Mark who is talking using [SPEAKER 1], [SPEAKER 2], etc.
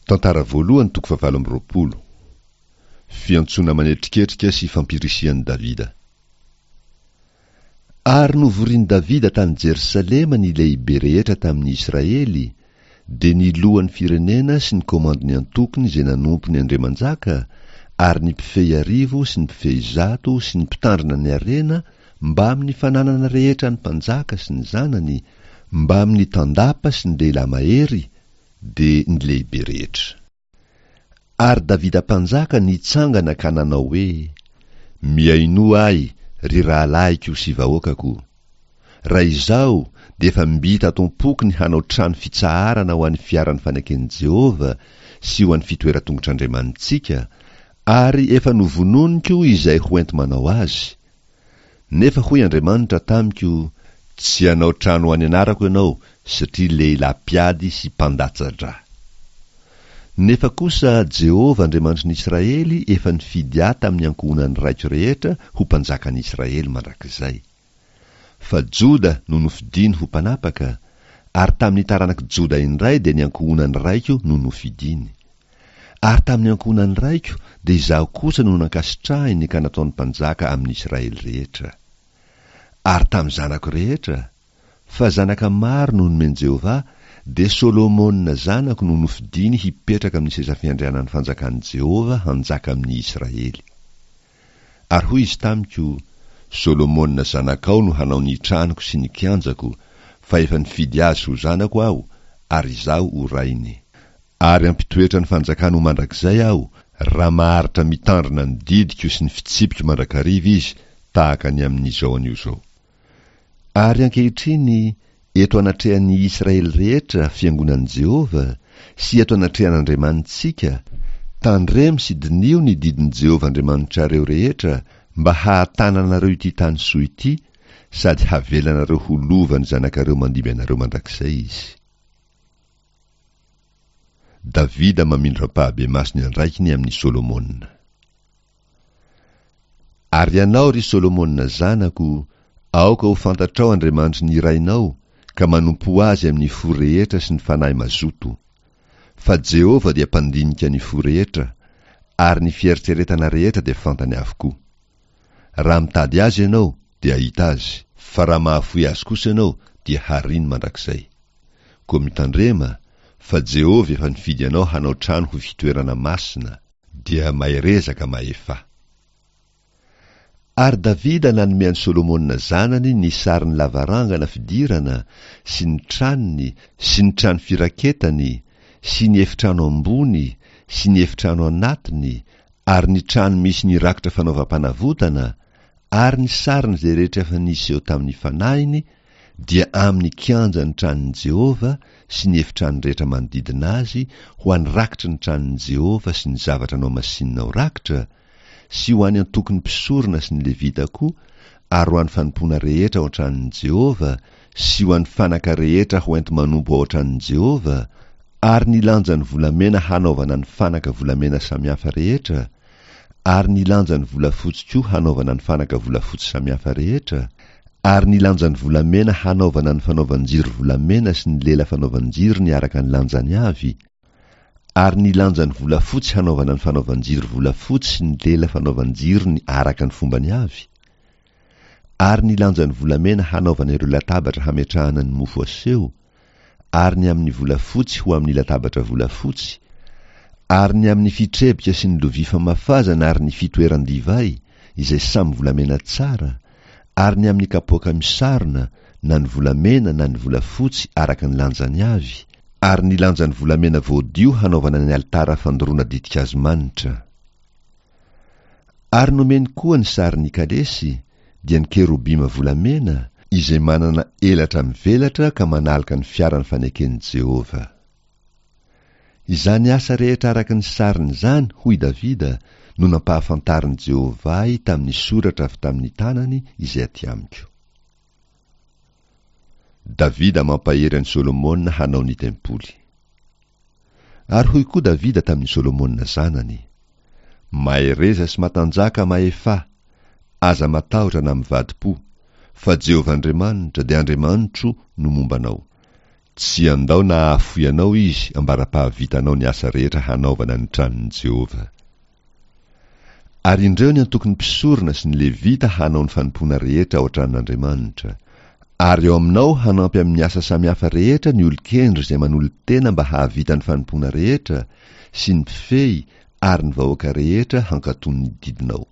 [SPEAKER 1] Tantara voalohany toko fahavalo amby 20. Fiantsoana manetriketrika sy fampirisihan'i Davida. Ary novorin'i Davida tany Jerosalema ny lehibe rehetra tamin'ny Israely, dia ny lohan'ny firenena sy ny komandin'ny antokony izay nanompo ny andriamanjaka, ary ny mpifehy arivo sy ny mpifehy zato sy ny mpitandrina ny harena mbamin'ny fananana rehetra an'ny mpanjaka sy ny zanany, mbamin'ny tandapa sy ny lehilahy mahery, dia ny lehibe rehetra. Ary Davida mpanjaka nitsangana ka nanao hoe, Mihainoa ahy, ry rahalahiko sy vahoakako. Raha izaho, dia efa mby tato am-poko ny hanao trano fitsaharana ho an'ny fiaran'ny faneken'i Jehovah sy ho an'ny fitoeran-tongotr'Andriamanitsika, ary efa novononiko izay ho enti-manao azy, Nefa hoy Andriamanitra tamiko, Tsy hanao trano ho an'ny anarako ianao, satria lehilahy mpiady sy mpandatsa-dra. Nefa kosa Jehovah Andriamanitry ny Israely efa nifidy ahy tamin'ny ankohonan'ny raiko rehetra ho mpanjakan'ny Israely mandrakizay. Fa Joda no nofidiny ho mpanapaka, ary tamin'ny taranak'i Joda indray dia ny ankohonan'ny raiko no nofidiny. Ary tamin'ny ankohonan'ny raiko dia izaho kosa no nankasitrahiny ka nataony mpanjaka amin'ny Israely rehetra. Ary tamin'ny zanako rehetra, fa zanaka maro no nomen'i Jehovah, dia Solomona zanako no nofidiny hipetraka amin'ny seza fiandrianan'ny fanjakan'i Jehovah hanjaka amin'ny Israely. Ary hoy izy tamiko, Solomona zanakao no hanao ny tranoko sy ny kianjako, fa efa nifidy azy ho zanako aho, ary izaho ho rainy. Ary hampitoetra ny fanjakany ho mandrakizay Aho, raha maharitra mitandrina ny didiko sy ny fitsipiko mandrakariva izy tahaka ny amin'izao anio izao. Ary ankehitriny, eto anatrehan'ny Israely rehetra, fiangonan'i Jehovah, sy eto anatrehan'Andriamanitsika, tandremo sy diniho ny didin'i Jehovah Andriamanitrareo rehetra mba hahatananareo ity tany soa ity, sady havelanareo ho lovan'ny zanakareo mandimby anareo mandrakizay izy. Davida mamindra ampahabemaso ny andraikiny amin'i Solomona. Ary ianao, ry Solomona zanako, aoka ho fantatrao Andriamanitry ny rainao, ka manompoa Azy amin'ny fo rehetra sy ny fanahy mazoto. Fa Jehovah dia mpandinika ny fo rehetra, ary ny fieritreretana rehetra dia fantany avokoa. Raha mitady Azy ianao, dia hahita Azy, fa raha mahafoy Azy kosa ianao, dia hariny mandrakizay. Koa mitandrema, fa Jehovah efa nifidy anao hanao trano ho fitoerana masina, dia mahereza ka mahefà. Ary Davida nanome an'i Solomona zanany ny sarin'ny lavarangana fidirana sy ny tranony sy ny trano firaketany sy ny efitrano ambony sy ny efitrano anatiny ary ny trano misy ny rakitra fanaovam-panavotana ary ny sarin'izay rehetra efa niseho tamin'ny fanahiny dia amin'ny kianjan'ny tranon'i Jehovah sy ny efitrano rehetra manodidina azy ho an'ny rakitry ny tranon'i Jehovah sy ny zavatra nohamasinina ho rakitra, sy ho an'ny antokon'ny mpisorona sy ny Levita koa, ary ho an'ny fanompoana rehetra ao an-tranon'i Jehovah, sy ho an'ny fanaka rehetra ho enti-manompo ao an-tranon'i Jehovah, ary ny lanjan'ny volamena hanaovana ny fanaka volamena samihafa rehetra, ary ny lanjan'ny volafotsy koa hanaovana ny fanaka volafotsy samihafa rehetra, ary ny lanjan'ny volamena hanaovana ny fanaovan-jiro volamena sy ny lela fanaovan-jirony araka ny lanjany avy, ary ny lanjan'ny volafotsy hanaovana ny fanaovan-jiro volafotsy sy ny lela fanaovan-jirony araka ny fombany avy, ary ny lanjan'ny volamena hanaovana ireo latabatra hametrahana ny mofo aseho, ary ny amin'ny volafotsy ho amin'ny latabatra volafotsy, ary ny amin'ny fitrebika sy ny lovia famafazana ary ny fitoeran-divay, izay samy volamena tsara, ary ny amin'ny kapoaka misarona, na ny volamena na ny volafotsy araka ny lanjany avy, ary ny lanjan'ny volamena voadio hanaovana ny alitara fandoroana ditin-kazo manitra. Ary nomeny koa ny sarin'ny kalesy, dia ny kerobima volamena, izay manana elatra mivelatra ka manaloka ny fiaran'ny faneken'i Jehovah. Izany asa rehetra araka ny sariny izany, hoy Davida, no nampahafantarin'i Jehovah ahy tamin'ny soratra avy tamin'ny tanany izay aty amiko. Davida mampahery an'i Solomona hanao ny tempoly. Ary hoy koa Davida tamin'i Solomona zanany, Mahereza sy matanjaka mahefà, aza matahotra na mivadi-po, fa Jehovah Andriamanitra, dia Andriamanitro, no momba anao. Tsy handao na hahafoy anao izy ambara-pahavitanao ny asa rehetra hanaovana ny tranon'i Jehovah. Ary indreo ny antokon'ny mpisorona sy ny Levita hanao ny fanompoana rehetra ao an-tranon'Andriamanitra. Ary eo aminao hanampy amin'ny asa samihafa rehetra ny olon-kendry izay manolo-tena mba hahavita ny fanompoana rehetra, sy ny mpifehy ary ny vahoaka rehetra hankatò ny didinao.